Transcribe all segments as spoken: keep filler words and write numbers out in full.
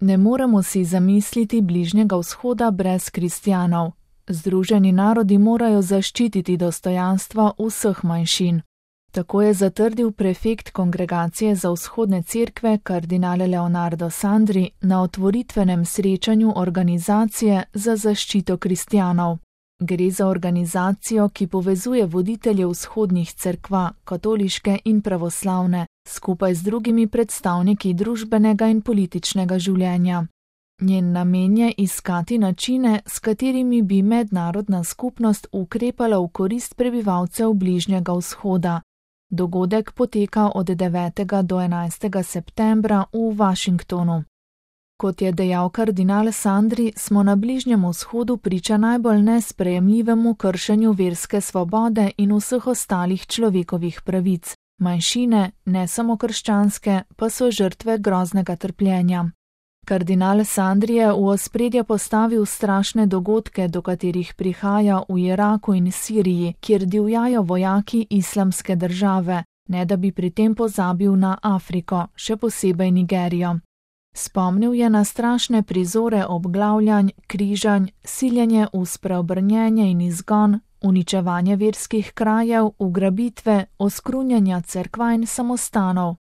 Ne moremo si zamisliti Bližnjega vzhoda brez kristjanov. Združeni narodi morajo zaščititi dostojanstvo vseh manjšin. Tako je zatrdil prefekt Kongregacije za vzhodne cerkve kardinal Leonardo Sandri na otvoritvenem srečanju organizacije za zaščito kristjanov. Gre za organizacijo, ki povezuje voditelje vzhodnih cerkva, katoliške in pravoslavne, skupaj z drugimi predstavniki družbenega in političnega življenja. Njen namen je iskati načine, s katerimi bi mednarodna skupnost ukrepala v korist prebivalcev Bližnjega vzhoda. Dogodek poteka od devetega do enajstega septembra v Washingtonu. Kot je dejal kardinal Sandri, smo na Bližnjem vzhodu priča najbolj nesprejemljivemu kršenju verske svobode in vseh ostalih človekovih pravic. Manjšine, ne samo krščanske, pa so žrtve groznega trpljenja. Kardinal Sandri je v ospredje postavil strašne dogodke, do katerih prihaja v Iraku in Siriji, kjer divjajo vojaki islamske države, ne da bi pri tem pozabil na Afriko, še posebej Nigerijo. Spomnil je na strašne prizore obglavljanj, križanj, siljenje v spreobrnjenje in izgon, uničevanje verskih krajev, ugrabitve, oskrunjanja cerkva in samostanov.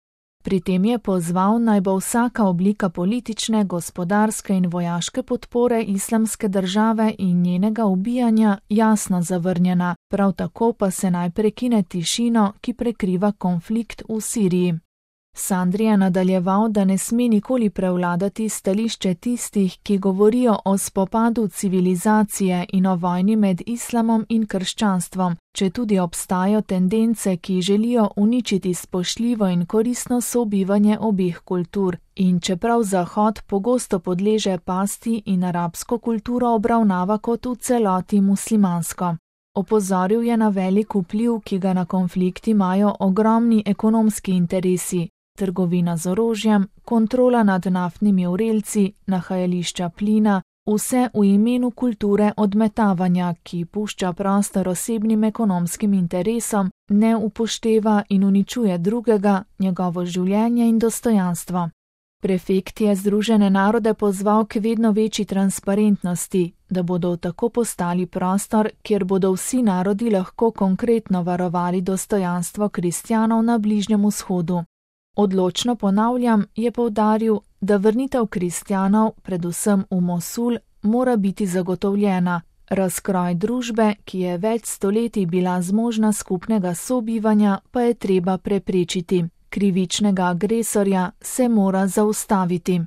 Pri tem je pozval, naj bo vsaka oblika politične, gospodarske in vojaške podpore islamske države in njenega ubijanja jasno zavrnjena, prav tako pa se naj prekine tišino, ki prekriva konflikt v Siriji. Sandri je nadaljeval, da ne sme nikoli prevladati stališče tistih, ki govorijo o spopadu civilizacije in o vojni med islamom in krščanstvom, četudi obstajajo tendence, ki želijo uničiti spoštljivo in koristno sobivanje obeh kultur, in čeprav Zahod pogosto podleže pasti in arabsko kulturo obravnava kot v celoti muslimansko. Opozoril je na velik vpliv, ki ga na konflikt imajo ogromni ekonomski interesi, trgovina z orožjem, kontrola nad naftnimi vrelci, nahajališča plina, vse v imenu kulture odmetavanja, ki pušča prostor osebnim ekonomskim interesom, ne upošteva in uničuje drugega, njegovo življenje in dostojanstvo. Prefekt je Združene narode pozval k vedno večji transparentnosti, da bodo tako postali prostor, kjer bodo vsi narodi lahko konkretno varovali dostojanstvo kristjanov na Bližnjem vzhodu. Odločno ponavljam, je poudaril, da vrnitev kristjanov, predvsem v Mosul, mora biti zagotovljena. Razkroj družbe, ki je več stoletij bila zmožna skupnega sobivanja, pa je treba preprečiti. Krivičnega agresorja se mora zaustaviti.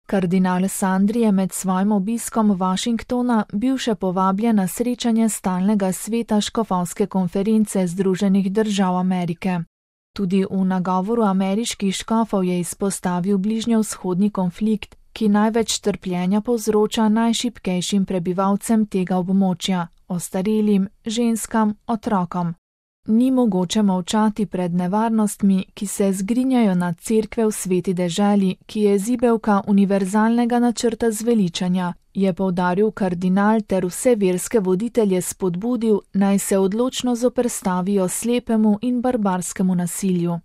Kardinal Sandri je med svojim obiskom Washingtona bil še povabljen na srečanje stalnega sveta škofovske konference Združenih držav Amerike. Tudi v nagovoru ameriških škofov je izpostavil bližnjevzhodni konflikt, ki največ trpljenja povzroča najšibkejšim prebivalcem tega območja, ostarelim, ženskam, otrokom. Ni mogoče molčati pred nevarnostmi, ki se zgrinjajo nad cerkve v sveti deželi, ki je zibelka univerzalnega načrta zveličanja, je poudaril kardinal ter vse verske voditelje spodbudil, naj se odločno zoperstavijo slepemu in barbarskemu nasilju.